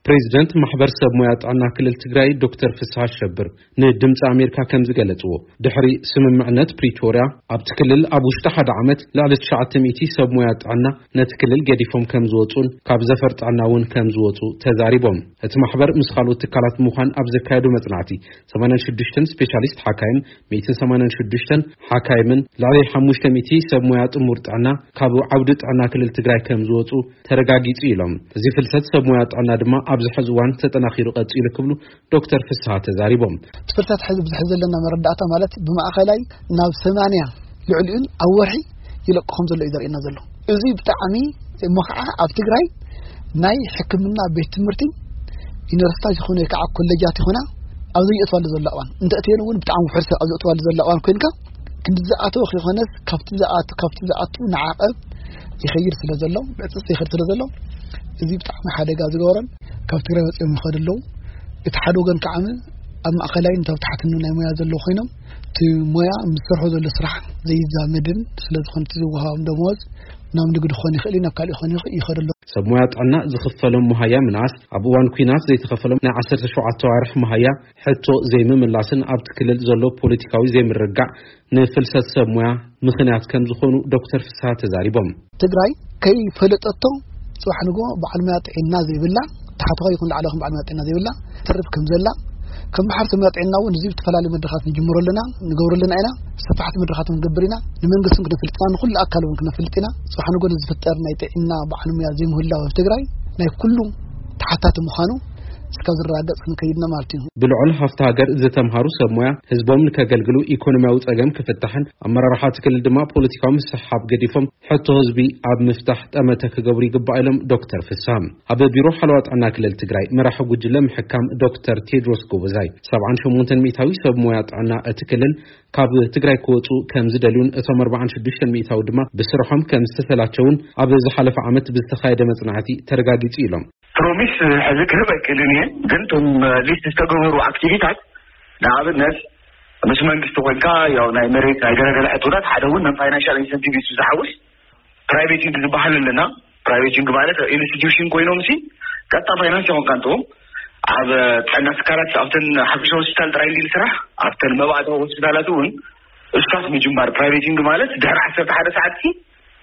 ፕሬዚደንት ማሕበር ሰብ ሞያ ጥዕና ክልል ትግራይ ዶክተር ፍስሐ ሸብር ንድምፂ ኣሜሪካ ከም ዝገለፅዎ፣ ድሕሪ ስምምዕነት ፕሪቶርያ ኣብቲ ክልል ኣብ ውሽጢ ሓደ ዓመት ልዕሊ ትሽዓተ ሚእቲ ሰብ ሞያ ጥዕና ነቲ ክልል ገዲፎም ከም ዝወፁን ካብ ዘፈር ጥዕና እውን ከም ዝወፁ ተዛሪቦም። እቲ ማሕበር ምስ ካልኦት ትካላት ምዃን ኣብ ዘካየዱ መፅናዕቲ ሰማንያን ሽዱሽተን ስፔሻሊስት ሓካይም፣ ሚእትን ሰማንያን ሽዱሽተን ሓካይምን ልዕሊ ሓሙሽተ ሚእቲ ሰብ ሞያ ጥሙር ጥዕና ካብ ዓውዲ ጥዕና ክልል ትግራይ ከም ዝወፁ ተረጋጊፁ ኢሎም። እዚ ፍልሰት ሰብ ሞያ ጥዕና ድማ ኣብዚ ሕዚ እዋን ተጠናኺሩ ቀፂሉ ክብሉ ዶክተር ፍስሐ ተዛሪቦም። እቲ ፍልሰት ሕዚ ብዝሕ ዘለና መረዳእታ ማለት ብማእኸላይ ናብ ሰማንያ ልዕሊኡን ኣብ ወርሒ ይለቅኾም ዘሎ እዩ ዘርእየና ዘሎ። እዚ ብጣዕሚ እሞ ከዓ ኣብ ትግራይ ናይ ሕክምና ቤት ትምህርቲ ዩኒቨርሲታት ይኹን ወይ ከዓ ኮሌጃት ይኹና ኣብ ዘይእትዋሉ ዘሎ እዋን እንተእትየን እውን ብጣዕሚ ውሕድ ሰብ ኣብ ዘእትዋሉ ዘሎ እዋን ኮይንካ ክንዲ ዝኣተወ ከይኮነስ ካብቲ ዝኣቱ ካብቲ ዝኣቱ ንዓቐብ ይኸይድ ስለ ዘሎ፣ ብዕፅፅ ይኸይድ ስለ ዘሎ፣ እዚ ብጣዕሚ ሓደጋ ዝገበረን ካብ ትግራይ ወፂኦም ይኸዱ ኣለዉ። እቲ ሓደ ወገን ከዓ ኣብ ማእኸላይን ኣብ ታሕትን ናይ ሞያ ዘለዉ ኮይኖም እቲ ሞያ ምስ ዝሰርሖ ዘሎ ስራሕ ዘይዛመድን ስለ ዝኾነ እቲ ዝወሃቦም ደመወዝ ናብ ንግዲ ክኾን ይኽእል እዩ፣ ናብ ካልእ ክኾን ይኽእል ይኸዱ ኣለዉ። ሰብ ሞያ ጥዕና ዝኽፈሎም መሃያ ምንኣስ፣ ኣብ እዋን ኲናት ዘይተኸፈሎም ናይ ዓሰርተ ሸውዓተ ኣዋርሕ መሃያ ሕቶ ዘይምምላስን ኣብቲ ክልል ዘሎ ፖለቲካዊ ዘይምርግጋዕ ንፍልሰት ሰብ ሞያ ምኽንያት ከም ዝኾኑ ዶክተር ፍስሐ ተዛሪቦም። ትግራይ ከይፈለጠቶ ጽባሕ ንግሆ በዓል ሞያ ጥዕና ዘይብላ፣ ታሕተዋይ ይኹን ላዕለዋይ ይኹን በዓል ሞያ ጥዕና ዘይብላ ትርፍ ከም ዘላ፣ ከም ማሕበር ሰብ ሞያ ጥዕና እውን እዚ ዝተፈላለዩ መድረኻት ንጅምሮ ኣለና፣ ንገብሮ ኣለና ኢና፣ ሰፋሕቲ መድረኻት እውን ንገብር ኢና፣ ንመንግስቲ እውን ክነፍልጥ ኢና፣ ንኹሉ ኣካል እውን ክነፍልጥ ኢና። ጽባሕ ንግሆ ንዝፍጠር ናይ ጥዕና በዓል ሞያ ዘይምህላው ኣብ ትግራይ ናይ ኩሉ ተሓታቲ ምዃኑ እስካብ ዝረጋገጽ ክንከይድና ማለት እዩ። ብልዑል ሃፍቲ ሃገር ዝተምሃሩ ሰብ ሞያ ህዝቦም ንከገልግሉ ኢኮኖሚያዊ ጸገም ክፍታሕን ኣመራርሓ እቲ ክልል ድማ ፖለቲካዊ ምስሕሓብ ገዲፎም ሕቶ ህዝቢ ኣብ ምፍታሕ ጠመተ ክገብሩ ይግባእ ኢሎም ዶክተር ፍስሃ። ኣብ ቢሮ ሓለዋ ጥዕና ክልል ትግራይ መራሒ ጉጅለ ምሕካም ዶክተር ቴድሮስ ጎበዛይ ሰብዓን ሸሞንተን ሚእታዊ ሰብ ሞያ ጥዕና እቲ ክልል ካብ ትግራይ ክወፁ ከም ዝደልዩን እቶም ኣርባዓን ሽዱሽተን ሚእታዊ ድማ ብስርሖም ከም ዝተሰላቸውን ኣብ ዝሓለፈ ዓመት ብዝተኻየደ መጽናዕቲ ተረጋጊጹ ኢሎም። ፕሮሚስ ሕዚ ክህብ ኣይክእልን እየ፣ ግን እቶም ሊስት ዝተገበሩ ኣክቲቪታት ንኣብነት ምስ መንግስቲ ኮይንካ ያው ናይ መሬት ናይ ገለገለ ሕቶታት ሓደ እውን ናይ ፋይናንሻል ኢንሰንቲቭ እዩ ዝሓውስ። ፕራይቬቲንግ ዝበሃል ኣለና። ፕራይቬቲንግ ማለት ኢንስቲትዩሽን ኮይኖም ሲ ቀጥታ ፋይናንስ ይኾንካ እንተዎም ኣብ ጥዕና ትካላት ኣብተን ሓፈሻ ሆስፒታል ጥራይ እንዲል ስራሕ ኣብተን መባእታዊ ሆስፒታላት እውን እስካፍ ምጅማር ፕራይቬቲንግ ማለት ድሕሪ ዓሰርተ ሓደ ሰዓት ሲ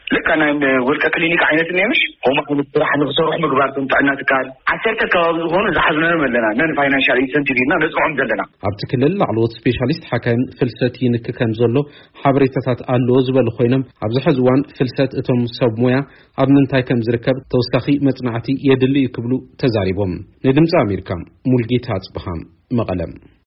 ልካ ናይ ውልቀ ክሊኒክ ዓይነት እኒአ ምሽ ከምኡ ዓይነት ስራሕ ንክሰርሑ ምግባር እቶም ጥዕና ትካል ዓሰርተ ከባቢ ዝኾኑ ዝሓዝናዮም ኣለና ነን ፋይናንሻል ኢንሰንቲቭ ኢልና ነፅንዖም ዘለና። ኣብቲ ክልል ላዕለዎት ስፔሻሊስት ሓካይም ፍልሰት ይንክ ከም ዘሎ ሓበሬታታት ኣለዎ ዝበሉ ኮይኖም ኣብዚ ሕዚ እዋን ፍልሰት እቶም ሰብ ሞያ ኣብ ምንታይ ከም ዝርከብ ተወሳኺ መጽናዕቲ የድሊ እዩ ክብሉ ተዛሪቦም። ንድምፂ ኣሜሪካ ሙልጌታ ኣጽብሃ መቐለም።